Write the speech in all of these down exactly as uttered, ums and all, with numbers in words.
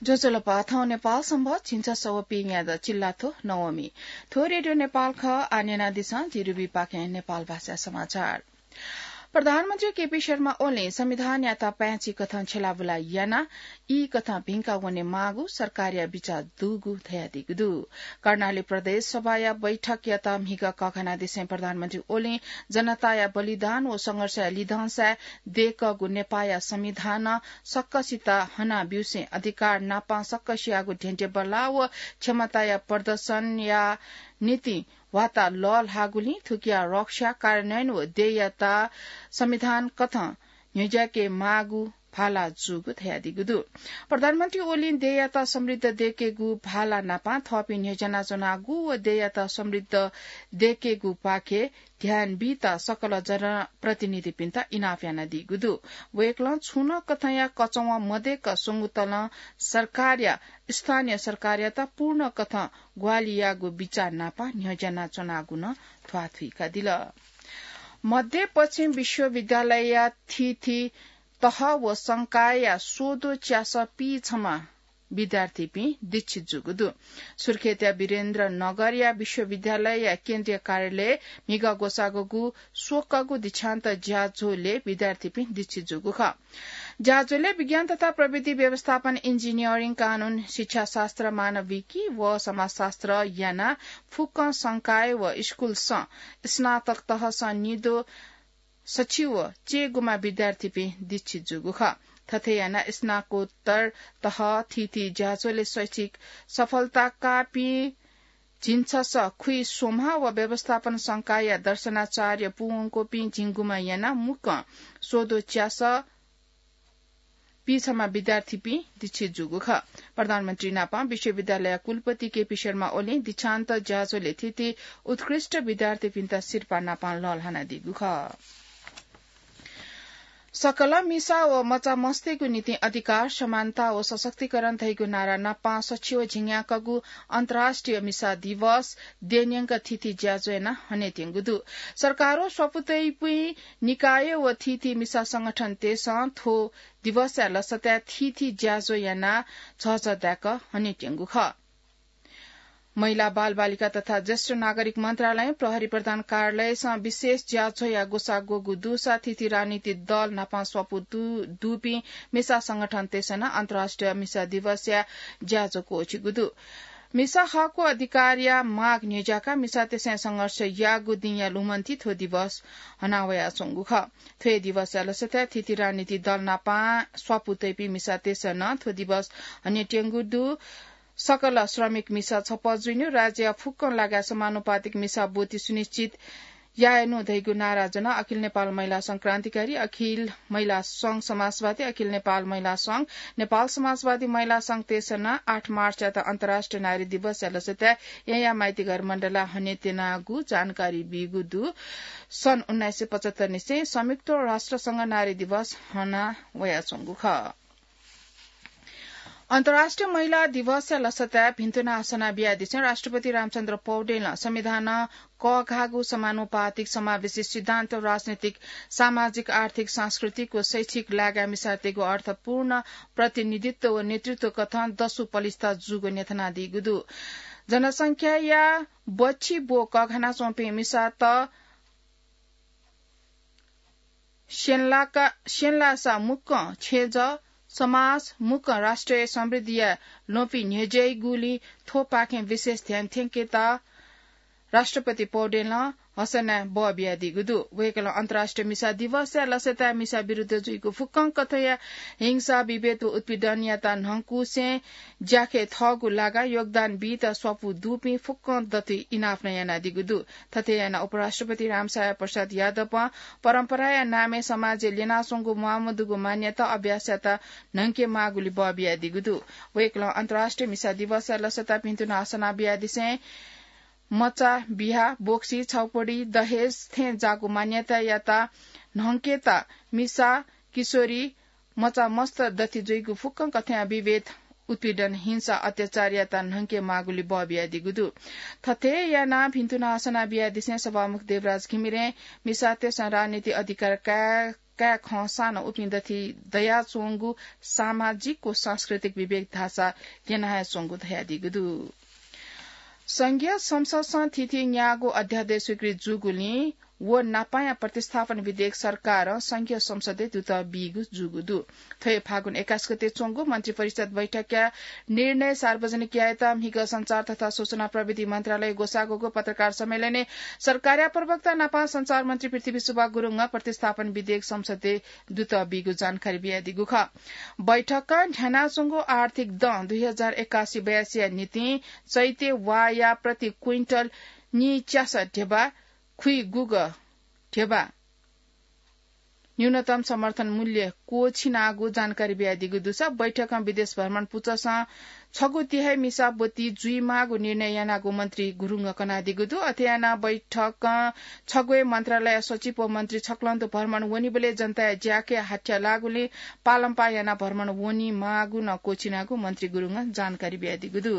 ज्वजलपा, थौं नेपाल संवत् झिंछसः व पीन्यादँ चिल्लाथ्व नवमी। थ्व रेडियो नेपाल खः। आः न्यनादिसँ, जि रुबी पाखें नेपाल भाषा समाचार। प्रधानमन्त्री केपी शर्मा ओलीं संविधानयात पाय्‌छि कथं छ्यलाबुला याना ई कथं भिंका वने माःगु सरकारया बिचाः दुगु धयादीगु दु। कर्णाली प्रदेश सभाया बैठकयात म्हिगः कःघानादिसें प्रधानमन्त्री ओलीं जनताया बलिदान व संघर्षया लिधंसाय् दय्‌कःगु नेपाःया संविधानं सकसित हना ब्यूसें अधिकार नापं सकसियागु धेंधेंबल्लाः व क्षमताया प्रदर्शनया निंतिं ह्वाता लःल्हाःगुलिं थुकिया रक्षा, कार्यान्वयन व देय्‌यात संविधान कथं न्ह्यज्याके माःगु भाला जूगु धयादीगु दु। प्रधानमन्त्री ओलीं देय्‌यात समृद्ध दय्‌केगु भाला नापं थःपिं न्ह्यज्यानाच्वनागु व देय्‌यात समृद्ध दय्‌केगुपाखे ध्यान बीत सकल जनप्रतिनिधिपिन्त इनाप यानादीगु दु। वय्‌कलं छुं नं कथंया कचवं मदय्‌क स्वंगुतलं सरकारया, स्थानीय सरकारयात पूर्ण कथं ग्वाहालि याःगु बिचाः नापं न्ह्यज्यानाच्वनागु नं ध्वाथुइकादिल। मध्य पश्चिम विश्वविद्यालयया थीथी तह व संकायया स्वदँ च्यासः पीछम्ह विद्यार्थीपिं दीक्षित जूगु दु। सुर्खेतया वीरेन्द्र नगरया विश्वविद्यालयया केन्द्रीय कार्यालयय् म्हिगः ग्वसाःगुगु स्वकःगु दीक्षान्त ज्याझ्वलय् विद्यार्थीपिं दीक्षित जूगु खः। ज्याझ्वलय् विज्ञान तथा प्रविधि व्यवस्थापन, इन्जिनियरिङ, कानून, शिक्षाशास्त्र, मानविकी व समाजशास्त्र यानाः फुक्कं संकाय व स्कूलसं स्नातक तहसं निदँ सछि व चय्‌गुम्ह विद्यार्थीपिं दीक्षित जूगु खः। थथे यानाः स्नाकोत्तर तह थीथी ज्याझ्वलय् शैक्षिक सफलता काःपिं झिंछसः खुइस्वम्ह व व्यवस्थापन संकायया दर्शनाचार्य पूवंक्वःपिं झिंगुम्ह यानाः मुक्कं स्वदँ च्यासः पीछम्ह विद्यार्थीपिं दीक्षित जूगु खः। प्रधानमन्त्री नापं विश्वविद्यालयया कुलपति केपी शर्मा ओलीं दीक्षान्त ज्याझ्वलय् थीथी उत्कृष्ट विद्यार्थीपिन्त सिरपाः नापं लःल्हानादीगु खः। सकल मिसा व मचामस्तय्‌गु निंतिं अधिकार, समानता व सशक्तिकरण धइगु नारा नापं सछि व झिंन्याक्वःगु अन्तर्राष्ट्रिय मिसा दिवस देय्‌न्यंक थीथी ज्याझ्वः यानाः हनेत्यंगु दु। सरकार व स्वापू तइपिं निकाय व थीथी मिसा संगठनतय्‌सं थ्व दिवसया लसताय् थीथी ज्याझ्वः यानाः झःझः दाय्‌क हनेत्यंगु खः। महिला, बालबालिका तथा ज्येष्ठ नागरिक मन्त्रालयं प्रहरी प्रधान कार्यालयसं विशेष ज्याझ्वःया ग्वसाः ग्वःगु दुसा थीथी राजनीतिक दल नापं स्वापू दु-, दुपिं मिसा संगठनतय्‌सं नं अन्तर्राष्ट्रिय मिसा दिवसया ज्याझ्वः क्वःछिगु दु। मिसा हक व अधिकारया माग न्ह्यज्याकाः मिसातय्‌सं संघर्ष याःगु दिंया लुमन्ति थ्व दिवस हनावयाच्वंगु खः। थ्व हे दिवसया लसताय् थीथी राजनीतिक दल नापं स्वापू तइपिं मिसातय्‌सं नं थ्व दिवस हनेत्यंगु दु। सकल श्रमिक मिसा छप्पँ जुइनु, राज्यया फुक्कं लागाय् समानुपातिक मिसा ब्वति सुनिश्चित यायेनु धइगु नारा ज्वनाः अखिल नेपाल महिला संघ क्रान्तिकारी, अखिल महिला संघ समाजवादी, अखिल नेपाल महिला संघ, नेपाल समाजवादी महिला संघतय्‌सं नं आठ मार्चयात अन्तर्राष्ट्रिय नारी दिवसया लसताय् येँया माइतीघर मण्डलाय् हनेत्यनागु जानकारी बीगु दु। सन् उन्नाइस सय पचहत्तर निसें संयुक्त राष्ट्रसंघ नारी दिवस हना वयाच्वंगु खः। अन्तर्राष्ट्रिय महिला दिवसया लसताय् भिन्तुना हसना बियादिसें राष्ट्रपति रामचन्द्र पौडेलं संविधानं कःघाःगु समानुपातिक समावेशी सिद्धान्त राजनीतिक, सामाजिक, आर्थिक, सांस्कृतिक व शैक्षिक लागाय् मिसातय्‌गु अर्थपूर्ण प्रतिनिधित्व व नेतृत्व कथं दसु पलिस्था जूगु न्ह्यथनादीगु दु। जनसंख्याया बच्छि ब्व कःघानाच्वंपिं मिसात स्यंलाका-, स्यंलासा मुक्कं छेँजः, समाज, मुक्कं राष्ट्रिय समृद्धिया ल्वपि न्ह्यज्याइगुलिं थ्वपाखें विशेष ध्यान थ्यंकेत राष्ट्रपति पौडेलं हसनाय् बः बियादीगु दु। वय्‌कलं अन्तर्राष्ट्रिय मिसा दिवसया लसताय् मिसा विरुद्ध जुइगु फुक्कं कथंया हिंसा, विभेद व उत्पीडनयात न्हंकुसें ज्याखँय् थःगु लागाय् योगदान बीत स्वापू दुपिं फुक्कं दथुइ इनाप नं यानादीगु दु। थथे यानाः उपराष्ट्रपति रामसाय प्रसाद यादवं परम्पराया नामय् समाजय् ल्यनाच्वंगु म्वाःमदुगु मान्यता अभ्यासयात न्हंके माःगुलि बः बियादीगु दु। वय्‌कलं अन्तर्राष्ट्रिय मिसा दिवसया लसताय् भिन्तुना हसना बियादिसें मचा बिहा, बोक्सी, छाउपडी, दहेज थें जाःगु मान्यतायात न्हंकेत मिसा, किशोरी, मचा मस्त दथुइ जुइगु फुक्कं कथंया विभेद, उत्पीडन, हिंसा, अत्याचारयात न्हंके माःगुलि बः बियादीगु दु। थथे यानाः भिन्तुना हसना बियादिसें सभामुख देवराज घिमिरें मिसातय्‌सं राजनीतिक अधिकार काये काय् खंसां नं उपिं दथि दयाच्वंगु सामाजिक व सांस्कृतिक विवेक धाःसा यनाच्वंगु धयादीगु दु। संघीय संसदसं थीथी न्यागू अध्यादेश स्वीकृत जूगुलिं व नापांया प्रतिस्थापन विधेयक सरकारं संघीय संसदय् दुत बीगु जूगु दु। थ्व हे फागुन एक्काइस गते च्वंगु मन्त्रिपरिषद बैठकया निर्णय सार्वजनिक यायेत म्हिगः सञ्चार तथा सूचना प्रविधि मन्त्रालय ग्वसाःगु पत्रकार सम्मेलनय् सरकारया प्रवक्ता नापं सञ्चार मन्त्री पृथ्वी सुब्बा गुरुङं प्रतिस्थापन विधेयक संसदय् दुत बीगु जानकारी बियादीगु खः। बैठकं न्ह्यानाच्वंगु आर्थिक दँ दुई हजार एक्कासी बयासीया निंतिं चैते वाःया प्रति क्विन्टल निच्यासः ध्यबा खुइगुगः ध्यबा न्यूनतम समर्थन मूल्य क्वःछिनागु जानकारी बियादीगु दुसा बैठकं विदेश भ्रमण पुचःसं छगू तिहाई मिसा ब्वति जुइमाःगु निर्णय यानागु मन्त्री गुरुङं कनादीगु दु। अथे यानाः बैठकं छगू हे मन्त्रालय सचिव व मन्त्री छक्लंतु भ्रमण वनीबलय् जनताया ज्याकय् हाथ्या लाःगुलिं पालंपाः यानाः भ्रमण वनीमाःगु नं क्वःछिनागु मन्त्री गुरुङं जानकारी बियादीगु दु।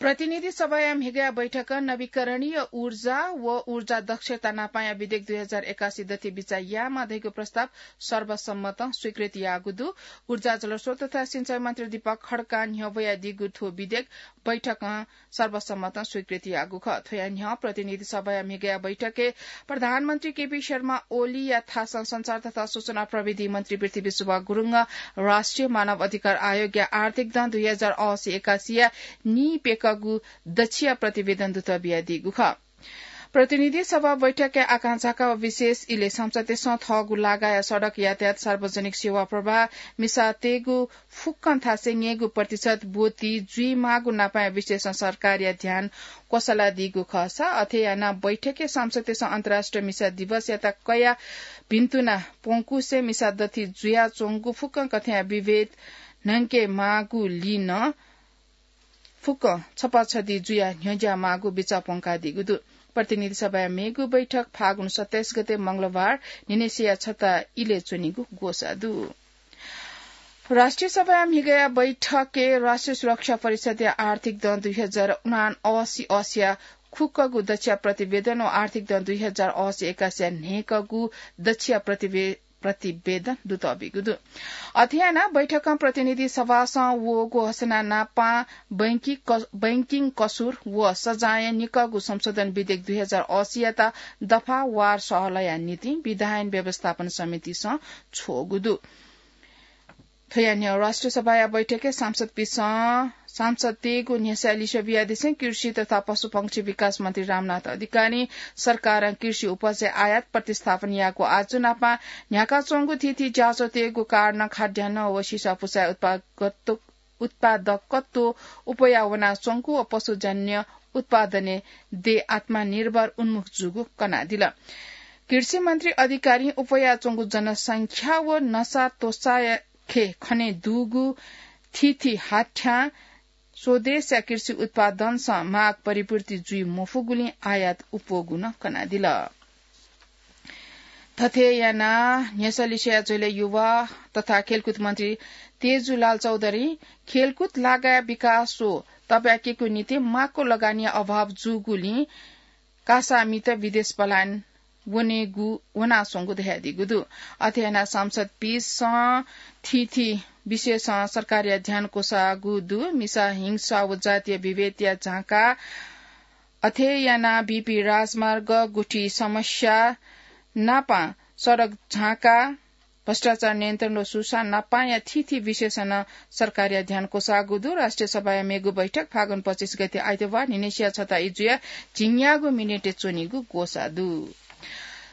प्रतिनिधि सभाया म्हिगःया बैठकं नवीकरणीय ऊर्जा व ऊर्जा दक्षता नापांया विधेयक दुई हजार एक्कासी दथि बिचाः यायेमाः धइगु प्रस्ताव सर्वसम्मतं स्वीकृत याःगु दु। ऊर्जा, जलस्रोत तथा सिंचाई मन्त्री दीपक खड्कां न्ह्यब्वयादीगु थ्व विधेयक बैठकं सर्वसम्मतं स्वीकृत याःगु खः। थ्वया न्ह्यः प्रतिनिधि सभाया म्हिगःया बैठकय् प्रधानमन्त्री केपी शर्मा ओलीया थासं सञ्चार तथा सूचना प्रविधि मन्त्री पृथ्वी सुब्बा गुरुङं राष्ट्रिय मानव अधिकार आयोगया आर्थिक दँ दुई हजार असी एकासीया नीप्यकःगु दच्छिया प्रतिवेदन दुत बियादीगु खः। प्रतिनिधि सभा बैठकया आकांक्षाका विशेष इलय् संसदय् सं थःगु लागाया सडक यातायात, सार्वजनिक सेवा प्रवाह, मिसातय्गु फुक्कं थासय् न्यय्गू प्रतिशत ब्वति जुइमाःगु नापाया विषयसं सरकारया ध्यान क्वसलादीगु खःसा, अथे यानाः बैठकय् सांसदतय्सं अन्तर्राष्ट्रिय मिसा दिवसयात कयाः भिन्तुना प्वंकुसे मिसा दथि जुयाच्वंगु फुक्कं कथंया विभेद न्हंकेमाःगुलिं नं फुक्कं छपाछदि जुयाः न्ह्यज्याःमाःगु बिचाः प्वंकादीगु दु। प्रतिनिधि सभाया मेगु बैठक फागुन सत्ताइस गते मंगलबार न्हिनय्सिया छता इलय् च्वनीगु ग्वसाः दु। राष्ट्रिय सभाया म्हिगःया बैठकय् राष्ट्रिय सुरक्षा परिषदया आर्थिक दँ दुई हजार उनासी असीया खुक्कगु दच्छिया प्रतिवेदन व आर्थिक दँ दुई हजार असी एकासीया न्हय्कगु दच्छिया प्रतिवे-, प्रतिवेदन दुत बीगु दु। अथे यानाः बैठकं प्रतिनिधि सभासं वःगु हसना नापां बैंकिङ क-, बैंकिङ कसुर व सजाँय निकःगु संशोधन विधेयक दुई हजार असीयात दफावार सहलया निंतिं विधायन व्यवस्थापन समितिसं छ्वःगु दु। थ्वया न्ह्यः राष्ट्रिय सभाया बैठकय् सांसदपिसं सांसदतय्गु न्ह्यसः लिसे बियादिसें कृषि तथा पशुपंक्षी विकास मन्त्री रामनाथ अधिकारीं सरकारं कृषि उपजय् आयात प्रतिस्थापन याःगु आजु नापं न्ह्याकाच्वंगु थीथी ज्याझ्वःतय्गु कारणं खाद्यान्न व सिसापुसाया उत्पादकत्व, उत्पादकत्व उप्वया वनाच्वंगु व पशुजन्य उत्पादनय् देय् आत्मनिर्भर उन्मुख जूगु कनादिल। कृषि मन्त्री अधिकारीं उप्वयाच्वंगु जनसंख्या व नसा त्वःसाया खे खने दुगु थीथी हाथ्यां स्वदेशया कृषि उत्पादनसं माग परिपूर्ति जुइ मफुगुलिं आयात उप्वःगु नं कनादिल। थथे यानाः न्ह्यसः लिसेया झ्वलय् युवा तथा खेलकुद मन्त्री तेजुलाल चौधरीं खेलकुद लागाया विकास व तब्याकेगु निंतिं माक्व लगानीया अभाव जूगुलिं कासामित विदेश पलायन वनेगु, वनाच्वंगु धयादीगु दु। अथे यानाः सांसदपिसं थीथी विषयसं सरकारया ध्यान क्वसाःगु दु। मिसा हिंसा व जातीय विभेदया झाँका, अथे यानाः बीपी राजमार्ग, गुठी समस्या नापं सडक झाँका, भ्रष्टाचार नियन्त्रण व सुशासन नापांया थीथी विषयसं नं सरकारया ध्यान क्वसाःगु दु। राष्ट्रिय सभाया मेगु बैठक फागुन पच्चिस गते आइतबार न्हिनय्सिया छता ई जुयाः झिंन्यागू मिनेटय् च्वनीगु ग्वसाः दु।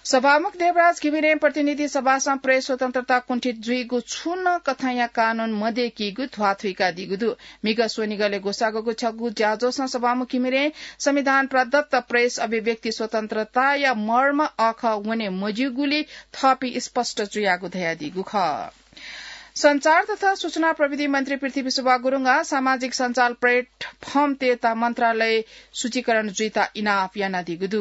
सभामुख देवराज घिमिरें प्रतिनिधि सभासं प्रेस स्वतन्त्रता कुण्ठित जुइगु छुं नं कथंया कानून मदय्कीगु ध्वाथुइकादीगु दु। म्हिगः स्वनिगलय् ग्वसाःगु छगू ज्याझ्वलय् सभामुख घिमिरें संविधान प्रदत्त प्रेस अभिव्यक्ति स्वतन्त्रताया मर्म अःखः वने मज्यूगुलिं थःपिं स्पष्ट जुयागु धयादीगु खः। सञ्चार तथा सूचना प्रविधि मन्त्री पृथ्वी सुब्बा गुरुङं सामाजिक सञ्चार प्लेटफर्मतय्त मन्त्रालय सूचीकरण जुइत इनाप यानादीगु दु।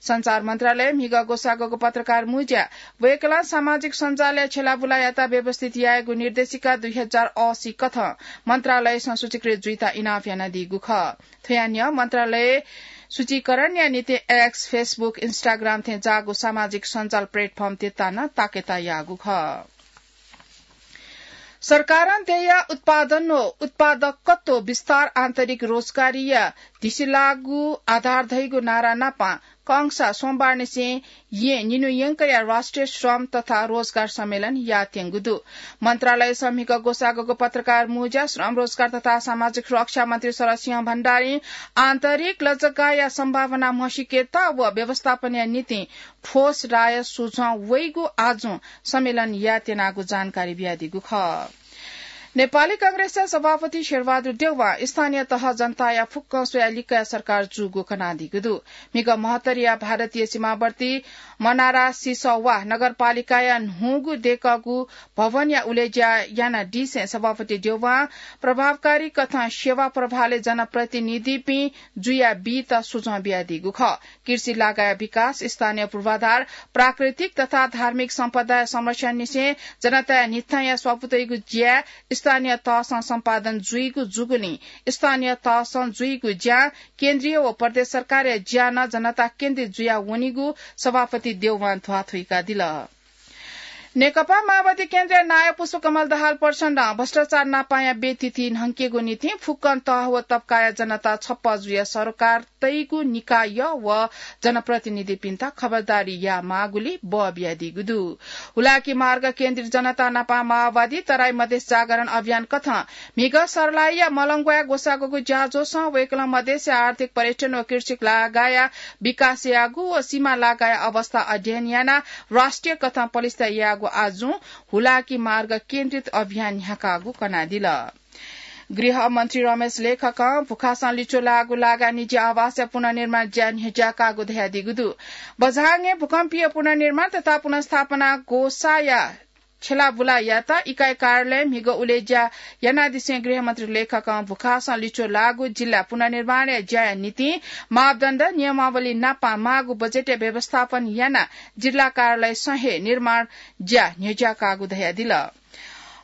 सञ्चार मन्त्रालयं म्हिगः ग्वसाःगु पत्रकार मुँज्याय् वय्कलं सामाजिक सञ्जालया छ्यलाबुलायात व्यवस्थित यायेगु निर्देशिका दुई हजार असी कथं मन्त्रालयसं सूचीकृत जुइत इनाप यानादीगु खः। थ्वया न्ह्यः मन्त्रालय सूचीकरणया निंतिं X, Facebook, Instagram थें जाःगु सामाजिक सञ्जाल platform तिर्ता नं ताकेता याःगु खः। सरकारं देय्‌या उत्पादन व उत्पादकत्व विस्तार आन्तरिक रोजगारीया धिसिलाःगु आधार धइगु नारा नापं कंसा सोमबारनिसें येँ निन्हु यंकया राष्ट्रिय श्रम तथा रोजगार सम्मेलन यायेत्यंगु दु। मन्त्रालयसं म्हिगः ग्वसाःगु पत्रकार मुँज्या श्रम, रोजगार तथा सामाजिक सुरक्षा मन्त्री शरद सिंह भण्डारीं आन्तरिक लजगाःया सम्भावना म्हसीकेत व व्यवस्थापनया निंतिं ठोस राय सुझाव वइगु आजुं सम्मेलन यायेत्यनागु जानकारी बियादीगु खः। नेपाली कांग्रेसया सभापति शेरबहादुर देउवां स्थानीय तह जनताया फुक्कं स्वयाः लिक्कया सरकार जूगु कनादीगु दु। म्हिगः महत्तरीया भारतीय सीमावर्ती मनारा सिसवा नगरपालिकाया न्हूगु दय्‌कःगु भवनया उलेज्या यानादीसें सभापति देउवां प्रभावकारी कथं सेवा प्रभावलय् जनप्रतिनिधिपिं जुया बीत सुझाव बियादीगु खः। कृषि लागाया विकास, स्थानीय पूर्वाधार, प्राकृतिक तथा धार्मिक सम्पदाया संरक्षणनिसें जनताया न्हिथंया स्वापू तइगु ज्या, स्थानीय तहसं सम्पादन जुइगु जूगुलिं स्थानीय तहसं जुइगु ज्या, केन्द्रीय व प्रदेश सरकारया ज्या नं जनता केन्द्रित जुया वनीगु सभापति देउवां ध्वाथुइकादिल। नेकपा माओवादी केन्द्रया नायः पुष्पकमल दाहाल प्रचण्डं भ्रष्टाचार नापांया व्यय तिथि न्हंकेगु निंतिं फुक्कं तह व तबकाया जनता छप्पँ जुया सरकार तइगु निकाय व जनप्रतिनिधिपिन्त खबरदारी यायेमाःगुली बः बियादीगु दु। हुलाकी मार्ग केन्द्रित जनता नापं माओवादी तराई मधेस जागरण अभियान कथं म्हिगः सर्लाहीया मलंग्वाय् ग्वसाःगु ज्याझ्वलय् वय्‌कलं मधेसया आर्थिक पर्यटन व कृषि लागाया विकास यायेगु व सीमा लागाया अवस्था अध्ययन यानाः राष्ट्रिय कथं पलिस्था यायेगु आजुं हुलाकी मार्ग केन्द्रित अभियान न्ह्याकागु कनादिल। गृहमन्त्री रमेश लेखकं भुखासं लिच्वः लाःगु लागा निजी आवासया पुनर्निर्माण ज्या न्ह्यज्याकागु धयादीगु दु। बझाङय् भूकम्पीय पुनर्निर्माण तथा पुनर्स्थापना ग्वसाःया छ्यलाबुला यात इकाइ कार्यालयं म्हिगः उलेज्या यानादिसें गृहमन्त्री लेखकं भुखासं लिच्वः लाःगु जिल्ला पुनर्निर्माणया ज्याया निंतिं मापदण्ड नियमावली नापं माःगु बजेटया व्यवस्थापन यानाः जिल्ला कार्यालयसं हे निर्माण ज्या न्ह्यज्याकागु धयादिल।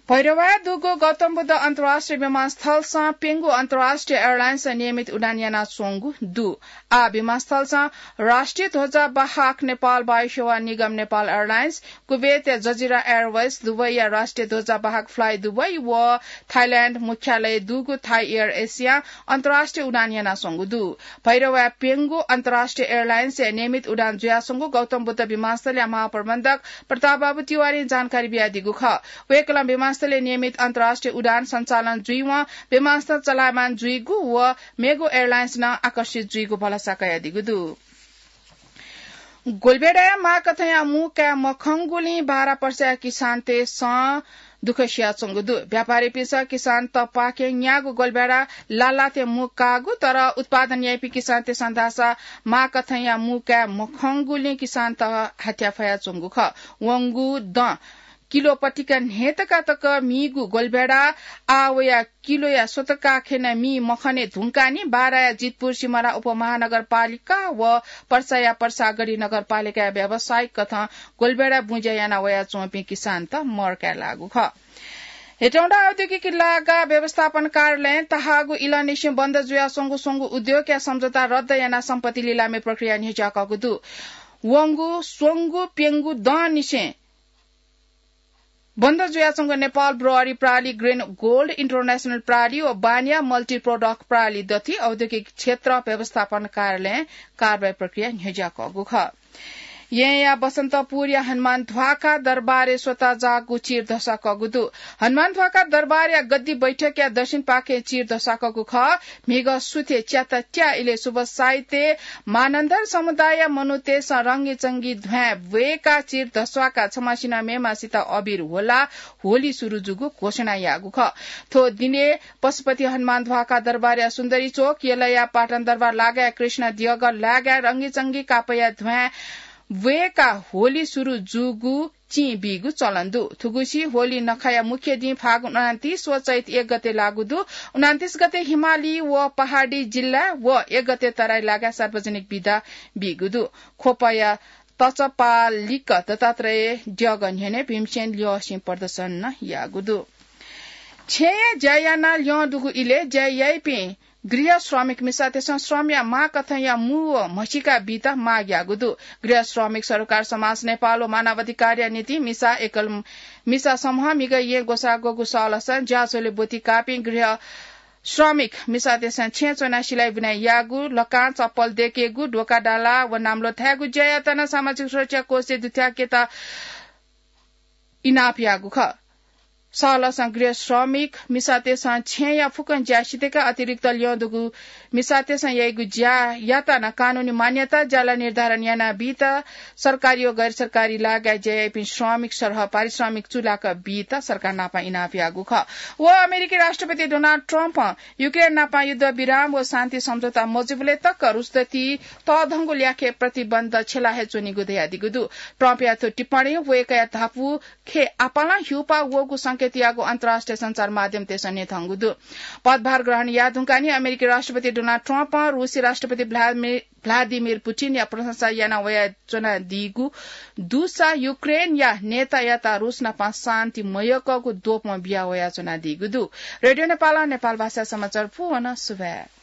भैरवाय् दुगु गौतम बुद्ध अन्तर्राष्ट्रिय विमानस्थलसं प्यंगू अन्तर्राष्ट्रिय एयरलाइन्सं नियमित उडान यानाच्वंगु दु। आः विमानस्थलसं राष्ट्रिय ध्वजावाहक नेपाल वायुसेवा निगम नेपाल एयरलाइन्स, कुवेतया जजिरा एयरवेज, दुबईया राष्ट्रिय ध्वजावाहक फ्लाई दुबई व थाइल्याण्ड मुख्यालय दुगु थाई एयर एसियां अन्तर्राष्ट्रिय उडान यानाच्वंगु दु। भैरवाय् प्यंगू अन्तर्राष्ट्रिय एयरलाइन्सया नियमित उडान जुयाच्वंगु गौतम बुद्ध विमानस्थलया महाप्रबन्धक प्रताप बाबु तिवारीं जानकारी बियादीगु खः। वय्‌कलं विमानस्थलय् नियमित अन्तर्राष्ट्रिय उडान सञ्चालन जुइवं विमानस्थल चलायमान जुइगु व मेगु एयरलाइन्स नं आकर्षित जुइगु भलसा कयादीगु दु। गोलबेडाया माःकथंया मू काये मखंगुलिं बारा पर्साया किसानतय्‌सं दुःख सियाच्वंगु दु। व्यापारीपिन्सं किसानतपाखें न्याःगु गोलबेडा लालाथें मू काःगु, तर उत्पादन याइपिं किसानतय्‌सं धाःसा माःकथंया मू काये मखंगुलिं किसानत हाथ्याः फयाच्वंगु खः। वंगु दँ किलो पतिका न्हय्‌तका तक मीगु गोलबेडा आः वया किलोया स्वतका खेन मी मखने धुंकाः नि बाराया जितपुर सिमरा उपमहानगरपालिका व पर्साया पर्सागढी नगरपालिकाया व्यावसायिक कथं गोलबेडा बुँज्या याना वयाच्वंपिं किसानत मर काये लाःगु खः। हेटौंडा औद्योगिक लागा व्यवस्थापन कार्यालयं तःहाःगु इलंनिसें बन्द जुयाच्वंगु स्वंगू उद्योगया सम्झौता रद्द यानाः सम्पत्ति लिलामी प्रक्रिया न्ह्यज्याकःगु दु। वंगु स्वंगू प्यंगू दँनिसें बन्द जुयाच्वंगु नेपाल ब्रुअरी प्रालि, ग्रिन गोल्ड इन्टरनेसनल प्रालि व बानिया मल्टी प्रोडक्ट प्रालि दथुइ औद्योगिक क्षेत्र व्यवस्थापन कार्यालयं कारवाही प्रक्रिया न्ह्यज्याकःगु खः। येँया बसन्तपुरया हनुमान ध्वाखा दरबारय् स्वता जाःगु चिर धस्वाकःगु दु। हनुमान ध्वाखा दरबारया गद्दी बैठकया दक्षिणपाखें चिर धस्वाकःगु खः। म्हिगः सुथय् च्याता त्या इलय् शुभ साइत मानन्धर समुदायया मनूतय्‌सं रंगीचंगी ध्वाँय् ब्वय्‌काः चिर धस्वाकाः छम्हसिनं मेम्हसित अबिर ह्वलाः होली सुरु जूगु घोषणा याःगु खः। थ्व दिनय् पशुपति हनुमान ध्वाखा दरबारया सुन्दरी चोक, यलया पाटन दरबार लागाय् कृष्ण देगः लागाय् रंगीचंगी कापया ध्वाँय् ब्वय्‌काः होली सुरु जूगु चिं बीगु चलन दु। थुगुसी होली नखःया मुख्य दिं फागुन उनान्तिस व चैत एक गते लागू दु। उनान्तिस गते हिमाली व पहाडी जिल्ला व एक गते तराई लागाय् सार्वजनिक बिदा बीगु दु। ख्वपया तचपालिक दत्तात्रेय देगः न्ह्यःने भीमसेन ल्यःसिं प्रदर्शन नं याःगु दु। छेँय् ज्या यानाः ल्यं दुगु इलय् ज्या याइपिं गृह श्रमिक मिसातय्सं श्रमया माःकथंया मू व म्हसीका बीत माग याःगु दु। गृह श्रमिक सरोकार समाज नेपाल व मानवाधिकारया निंतिं मिसा एकल मिसा समूह म्हिगः येँ ग्वसाः ग्वःगु सहलसं ज्याझ्वलय् ब्वति काःपिं गृह श्रमिक मिसातय्सं छेँय् च्वनाः सिलाइ बुनाइ याःगु, लकां चप्पल दय्केगु, ध्वाखा डाला व नाम्लो थायेगु ज्या यात नं सामाजिक सुरक्षा कोषय् दुथ्याकेत इनाप याःगु खः। सहलसं गृह श्रमिक मिसातय्सं छेँया फुक्कं ज्या सिधयेकाः अतिरिक्त ल्यं दुगु मिसातय्सं याइगु ज्या यात नं कानूनी मान्यता ज्याला निर्धारण यानाबीत सरकारी व गैर सरकारी लागाय् ज्या याइपिं श्रमिक सरह पारिश्रमिक चुलाक बीत सरकार नाप इनाप याःगु खः। व अमेरिकी राष्ट्रपति डोनाल्ड ट्रम्पं युक्रेन नाप युद्ध विराम व शान्ति सम्झौता मजूबलय् तक रुसदति तःधंगु ल्याखय् प्रतिबन्ध छ्यला हे च्वनीगु धयादीगु दु। ट्रम्पया थ्व टिप्पणी वय्कःया धापू खय् आपालं ह्यूपाः वःगु संकेत याःगु अन्तर्राष्ट्रिय सञ्चार माध्यमतय्सं न्ह्यथंगु दु। पदभार ग्रहण याः धुंकाः नि अमेरिकी राष्ट्रपति डोनाल्ड ट्रम्पं रुसी राष्ट्रपति भ्लादिमिर, भ्लादिमिर पुटिनया प्रशंसा याना वयाच्वनादीगु दुसा युक्रेनया नेतायात रुस नाप शान्ति मयय्कःगु द्वपं बिया वयाच्वनादीगु दु। रेडियो नेपालं नेपाल भाषा समाचार पूवन सुभाय्।